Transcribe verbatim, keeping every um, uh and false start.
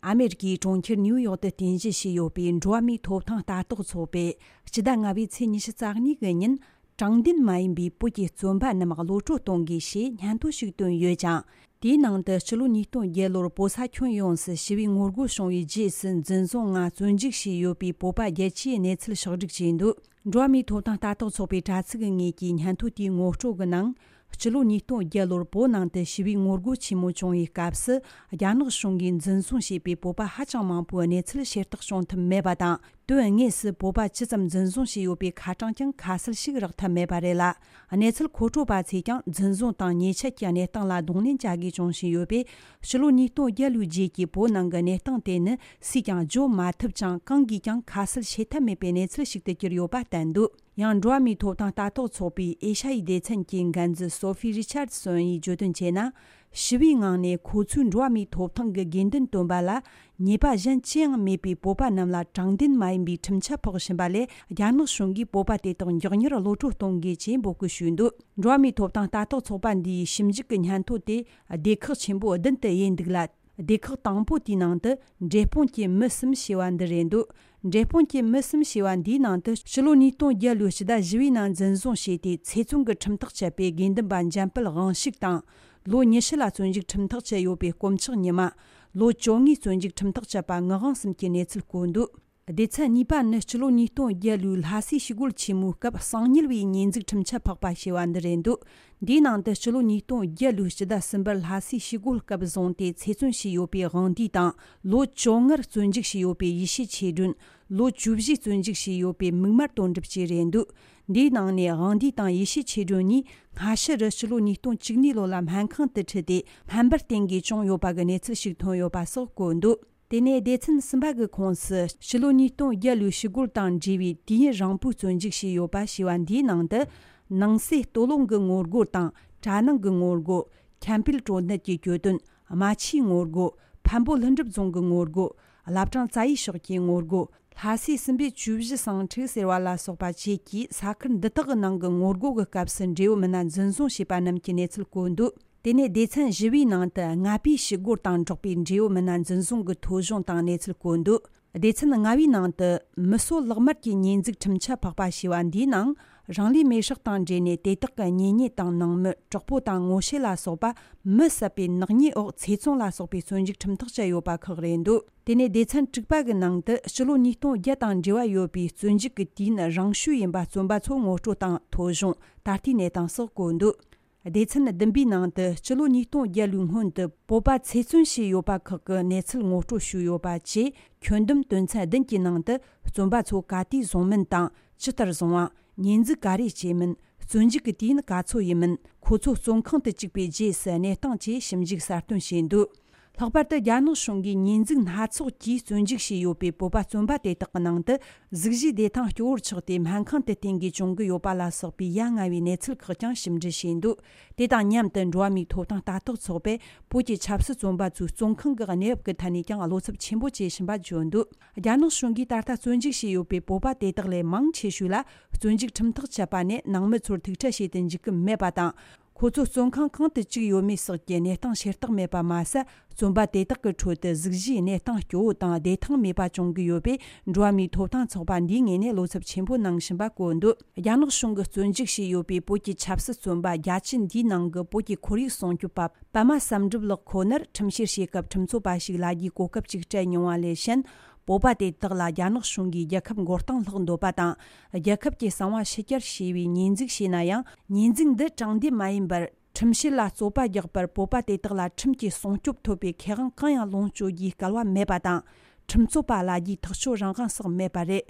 ཨ་མེ་རི་ཀའི་གྲོང་ཁྱེར་ནིའུ་ཡོག་ཏུ་རྟེན་གཞི་བྱས་ཡོད་པའི་འགྲོ་བ་མིའི་ཐོབ་ཐང་ལྟ་རྟོག་ཚོགས་པས་སྤྱི་ཟླ་ལྔ་པའི་ཚེས་ཉི་ཤུ་རྩ་གཉིས་ཀྱི་ཉིན། དྲང་བདེན་མ་ཡིན་པའི་བོད་ཀྱི་བཙོན་པ་རྣམས་གློད་བཀྲོལ་གཏོང་དགོས་ཞེས་སྙན་ཐོ་ཞིག་བཏོན་ཡོད་ཅིང་། དེའི་ནང་དུ་སྤྱི་ལོ་ཉིས་སྟོང་བརྒྱད་ལོར་བོད་ས་ཁྱོན་ཡོངས་སུ་ཞི་བའི་ངོ་རྒོལ་བྱུང་བའི་རྗེས་སུ་འཛིན་བཟུང་ངང་བཙོན་འཇུག་བྱས་ཡོད་པའི་བོད་པ་བརྒྱད་ཅུའི་གནས་ཚུལ་ཕྱོགས་བསྒྲིགས་བྱས་འདུག་འགྲོ་བ་མིའི་ཐོབ་ཐང་ལྟ་རྟོག་ཚོགས་པའི་དྲ་ཚིགས་ཀྱི་ངོས་ཀྱི་སྙན་ཐོ་དེའི་ངོ་སྤྲོད་ཀྱི་ནང་། སྤྱི་ལོ་ཉིས་སྟོང་བརྒྱད་ལོར་བོད་ནང་དུ་ཞི་བའི་ངོ་རྒོལ་ཆེན་མོ་བྱུང་བའི་སྐབས་སུ། རྒྱ་ནག་གཞུང་གིས་འཛིན་བཟུང་བྱས་པའི་བོད་པ་ཧ་ཅང་མང་པོའི་གནས་ཚུལ་ཤེས་རྟོགས་བྱུང་ཐུབ་མེད་པ་དང་། དོན་དངོས་སུ་བོད་པ་ཇི་ཙམ་འཛིན་བཟུང་བྱས་ཡོད་པའི་ཁ་གྲངས་ཀྱང་ཁ་གསལ་ཞིག་རག་ཐབས་མེད་པ་རེད་ལ། གནས་ཚུལ་མཁོ་སྤྲོད་པ་ཚོས་ཀྱང་འཛིན་བཟུང་དང་ཉེས་ཆད་ཀྱི་གནས་སྟངས་ལ་གདོང་ལེན་བྱ་དགོས་བྱུང་བཞིན་ཡོད་པས། ཕྱི་ལོ་ཉིས་སྟོང་བརྒྱད་ལོའི་རྗེས་ཀྱི་བོད་ནང་གི་གནས་སྟངས་དེ་ནི་སུས་ཀྱང་བརྗོད་མ་ཐུབ་ཅིང་། གང་གིས་ཀྱང་ཁ་གསལ་བྱེད་ཐབས་མེད་པའི་གནས་ཚུལ་ཞིག་ཏུ་གྱུར་ཡོད་པ་བསྟན་འདུག་ཡང་འགྲོ་བ་མིའི་ཐོབ་ཐང་ལྟ་རྟོག་ཚོགས་པའི་ཨེ་ཤ་ཡའི་སྡེ་ཚན་གྱི་འགན་འཛིན་སོ་ཕི་རི་ཆར་སོན་ཡིས་བརྗོད་དོན་བྱས་ན། ཞི་བའི་ངང་ནས་ཁོ་ཚོས་འགྲོ་བ་མིའི་ཐོབ་ཐང་གི་དགོས་འདུན་བཏོན་པ་ལ་ཉེས་པ་གཞན་ཅི་ཡང་མེད་པའི་བོད་པ་རྣམས་ལ་དྲང་བདེན་མ་ཡིན་པའི་ཁྲིམས་ཆད་ཕོག་བཞིན་པ་ལས། རྒྱ་ནག་གཞུང་གིས་བོད་པ་དེ་དག་མགྱོགས་མྱུར་གློད་བཀྲོལ་གཏོང་དགོས་ཅེས་འབོད་སྐུལ་ཞུས་འདུག་འགྲོ་བ་མིའི་ཐོབ་ཐང་ལྟ་རྟོག་ཚོགས་པ་འདིའི་ཞིབ་འཇུག་གི་སྙན་ཐོ་དེ་སྡེ་ཁག་ཆེན་པོ་བདུན་དུ་དབྱེ་འདུག་ལ། སྡེ་ཁག་དང་པོ་དེའི་ནང་དུ་འབྲས་སྤུངས་ཀྱི་མི་གསུམ་ཞེས་པ་འདི་རེད་འདུག་འབྲས་སྤུངས་ཀྱི་མི་གསུམ་ཞེས་པ་འདིའི་ནང་དུ་ཕྱི་ལོ་ཉིས་སྟོང་བརྒྱད་ལོའི་ཕྱི་ཟླ་བཞི་པའི་ནང་འཛིན་བཟུང་བྱས་ཏེ་ཚེ་བཙོན་གྱི་ཁྲིམས་ཐག་བཅད་པའི་དགེ་འདུན་པ་འཇམ་དཔལ་དབང་ཕྱུག་དང་། ལོ་ཉི་ཤུ་ལ་བཙོན་འཇུག་ཁྲིམས་ཐག་བཅད་ཡོད་པའི་དཀོན་མཆོག་ཉི་མ། ལོ་བཅོ་ལྔའི་བཙོན་འཇུག་ཁྲིམས་ཐག་བཅད་པ་ངག་དབང་གསུམ་གྱི་གནས་ཚུལ་བཀོད་འདུག་སྡེ་ཚན་གཉིས་པ་ནི་སྤྱི་ལོ་ཉིས་སྟོང་བརྒྱད་ལོའི་ལྷ་སའི་ཞི་རྒོལ་ཆེན་མོའི་སྐབས་གསང་ཉུལ་བའི་ཉེས་འཛུགས་ཁྲིམས་ཆད་ཕོག་པ་ཞེས་པ་འདི་རེད་འདུག་འདིའི་ནང་དུ་སྤྱི་ལོ་ཉིས་སྟོང་བརྒྱད་ལོའི་ཕྱི་ཟླ་གསུམ་པར་ལྷ་སའི་ཞི་རྒོལ་སྐབས་བཟུང་སྟེ་ཚེ་བཙོན་བྱས་ཡོད་པའི་དབང་འདུས་དང་། ལོ་བཅོ་ལྔར་བཙོན་འཇུག་བྱས་ཡོད་པའི་ཡེ་ཤེས་ཆོས་སྒྲོན། ལོ་བཅུ་བཞི་བཙོན་འཇུག་བྱས་ཡོད་པའི་མིག་དམར་དོན་གྲུབ་བཅས་རེད་འདུག་འདིའི་ནང་ནས་དབང་འདུས་དང་ཡེ་ཤེས་ཆོས་སྒྲོན་གཉིས་སྔ་ཕྱི་རུ་ཕྱི་ལོ་ཉིས་སྟོང་བཅུ་གཉིས་ལོ་ལ་སྨན་ཁང་དུ་ཁྲིད་དེ་སྨན་པར་བསྟེན་དགོས་བྱུང་ཡོད་པ་གི་གནས་ཚུལ་ཞིག་ཐོན་ཡོད་པ་སོགས་བཀོད་འདུག་དེ་ནས་སྡེ་ཚན་གསུམ་པ་གི་ཁོངས་སུ་ཕྱི་ལོ་ཉིས་སྟོང་བརྒྱད་ལོའི་ཞི་རྒོལ་དང་འབྲེལ་བའི་དུས་ཡུན་རིང་པོའི་བཙོན་འཇུག་བྱས་ཡོད་པ་ཞེས་པ་འདིའི་ནང་དུ། ནང་སྲིད་སྟོད་ལུང་གི་ངོ་རྒོལ་དང་གྲ་ནང་གི་ངོ་རྒོལ། ཁྱམས་སྤེལ་གྲོ་སྣེར་གྱི་གྱོད་དོན། རྨ་ཆུའི་ངོ་རྒོལ། འཕན་པོ་ལྷུན་གྲུབ་རྫོང་གི་ངོ་རྒོལ། བླ་བྲང་རྩ་བའི་ཕྱོགས་ཀྱི་ངོ་རྒོལ། ལྷ་སའི་སྲིན་པོའི་བཅུ་བཞི་ཟིང་འཁྲུག་ཟེར་བ་ལ་སོགས་པ་བཅས་ཀྱིས་ས་ཁུལ་འདི་དག་གི་ནང་གི་ངོ་རྒོལ་གྱི་སྐབས་སུ་འབྲེལ་ཡོད་མི་སྣ་འཛིན་བཟུང་བྱས་པ་རྣམས་ཀྱི་གནས་ཚུལ་བཀོད་འདུག་དེ་ནས་སྡེ་ཚན་བཞི་པའི་ནང་དུ་ལྔ་པའི་ཞི་རྒོལ་དང་འབྲེལ་བའི་འབྲེལ་ཡོད་མི་སྣ་འཛིན་བཟུང་གི་ཐོ་གཞུང་དང་གནས་ཚུལ་བཀོད་འདུག་སྡེ་ཚན་ལྔ་པའི་ནང་དུ་མི་གསོད་ལག་དམར་གྱི་ཉེས་འཛུགས་ཁྲིམས་ཆད་ཕོག་པ་ཞེས་པ་འདིའི་ནང་རང་ལུས་མེར་སྲེག་དང་འབྲེལ་ནས་དེ་དག་གི་གཉེན་ཉེ་དང་ནང་མི་གྲོགས་པོ་དང་ངོ་ཤེས་ལ་སོགས་པ་མི་བསད་པའི་ནག་ཉེས་འོག་ཚེ་བཙོན་ལ་སོགས་པའི་བཙོན་འཇུག་ཁྲིམས་ཐག་བཅད་ཡོད་པ་ཁག་རེད་འདུག་དེ་ནས་སྡེ་ཚན་དྲུག་པ་གི་ནང་དུ་ཕྱི་ལོ་ཉིས་སྟོང་བརྒྱད་དང་འབྲེལ་བ་ཡོད་པའི་བཙོན་འཇུག་གི་དུས་ཡུན་རིང་ཤོས་ཡིན་པ་བཙོན་པ་ཚོ་ངོ་སྤྲོད་དང་ཐོ་གཞུང་། ད་ལྟའི་གནས་སྟངས་སོགས་བཀོད་འདུག་སྡེ་ཚན་བདུན་པའི་ནང་དུ་སྤྱི་ལོ་ཉིས་སྟོང་བརྒྱད་ལོའི་སྔོན་དུ་བོད་པ་ཚེ་བཙོན་བྱས་ཡོད་པ་ཁག་གི་གནས་ཚུལ་ངོ་སྤྲོད་ཞུས་ཡོད་པ་བཅས། ཁྱོན་བསྡོམས་དོན་ཚན་བདུན་གྱི་ནང་དུ་བཙོན་པ་ཚོ་ག་དུས་བཟུང་མིན་དང་། ཇི་ལྟར་བཟུང་བ། ཉེས་འཛུགས་ག་རེ་བྱས་མིན། བཙོན་འཇུག་གི་དུས་ཡུན་ག་ཚོད་ཡིན་མིན། ཁོ་ཚོ་བཙོན་ཁང་དུ་བཅུག་པའི་རྗེས་སུ་གནས་སྟངས་བཅས་ཞིབ་འཇུག་གསལ་སྟོན་བྱས་འདུག་ལྷག་པར་དུ་རྒྱ་ནག་གཞུང་གིས་ཉེས་འཛུགས་སྣ་ཚོགས་ཀྱིས་བཙོན་འཇུག་བྱས་ཡོད་པའི་བོད་པ་བཙོན་པ་དེ་དག་གི་ནང་དུ་གཟུགས་གཞིའི་བདེ་ཐང་སྐྱོ་བོར་ཆགས་ཏེ་སྨན་ཁང་དུ་བསྟེན་དགོས་བྱུང་གི་ཡོད་པ་ལ་སོགས་པའི་ཡ་ང་བའི་གནས་ཚུལ་ཁག་ཀྱང་ཞིབ་འབྲི་བྱས་འདུག་དེ་དང་མཉམ་དུ་འགྲོ་བ་མིའི་ཐོབ་ཐང་ལྟ་རྟོག་ཚོགས་པས་བོད་ཀྱི་ཆབ་སྲིད་བཙོན་པ་ཚོའི་བཙོན་ཁང་གི་གནས་བབ་ཀྱི་ཐད་ནས་ཀྱང་བློ་འཚབ་ཆེན་པོ་བྱེད་བཞིན་པ་བརྗོད་འདུག་རྒྱ་ནག་གཞུང་གིས་ད་ལྟ་བཙོན་འཇུག་བྱས་ཡོད་པའི་བོད་པ་དེ་དག་ལས་མང་ཆེ་ཤོས་ལ་བཙོན་འཇུག་ཁྲིམས་ཐག་བཅད་པ་ནས་ནང་མི་ཚོར་ཐུག་འཕྲད་བྱེད་དུ་འཇུག་གི་མེད་པ་དང་། ཁོ་ཚོ་བཙོན་ཁང་གང་དུ་བཅུག་ཡོད་མེད་སོགས་ཀྱི་གནས་སྟངས་ཤེས་རྟོགས་མེད་པ་མ་ཟད། བཙོན་པ་དེ་དག་གི་ཁྲོད་དུ་གཟུགས་གཞིའི་གནས་སྟངས་སྐྱོ་བོ་དང་བདེ་ཐང་མེད་པ་བྱུང་གི་ཡོད་པས། འགྲོ་བ་མིའི་ཐོབ་ཐང་ཚོགས་པ་འདིའི་ངོས་ནས་བློ་འཚབ་ཆེན་པོ་གནང་བཞིན་པ་བཀོད་འདུག་རྒྱ་ནག་གཞུང་གིས་བཙོན་འཇུག་བྱས་ཡོད་པའི་བོད་ཀྱི་ཆབ་སྲིད་བཙོན་པ་རྒྱ་ཆེ་འདིའི་ནང་གི་བོད་ཀྱི་ཁོར་ཡུག་སྲུང་སྐྱོབ་པ་པདྨ་བསམ་གྲུབ་ལགས་ཁོ་ནར་ཁྲིམས་བཤེར་བྱེད་སྐབས་ཁྲིམས་རྩོད་པ་ཞིག་ལབ་རྒྱུའི་གོ་སྐབས་ཅིག་སྤྲད་མྱོང་བ་ལས་གཞན། བོད་པ་དེ་དག་ལ་རྒྱ་ནག་གཞུང་གིས་རྒྱལ་ཁབ་མགོ་རྟིང་སློག་འདོད་པ་དང་། རྒྱལ་ཁབ་ཀྱི་གསང་བ་ཕྱི་གྱར་བྱས་པའི་ཉེས་འཛུགས་བྱས་ན་ཡང་། ཉེས་འཛུགས་འདི་དྲང་བདེན་མ་ཡིན་པར། ཁྲིམས་བཤེར་ལ་རྩོད་པ་རྒྱག་པར་བོད་པ་དེ་དག་ལ་ཁྲིམས་ཀྱི་སྲུང་སྐྱོབ་ཐོབ་པའི་ཁེ་དབང་གང་ཡང་ལོངས་སྤྱོད་རྒྱུའི་སྐལ་བ་མེད་པ་དང་། ཁྲིམས་རྩོད་པ་ལབ་རྒྱུའི་ཐག་གཅོད་རང་དབང་སོགས་མེད་པ་རེད།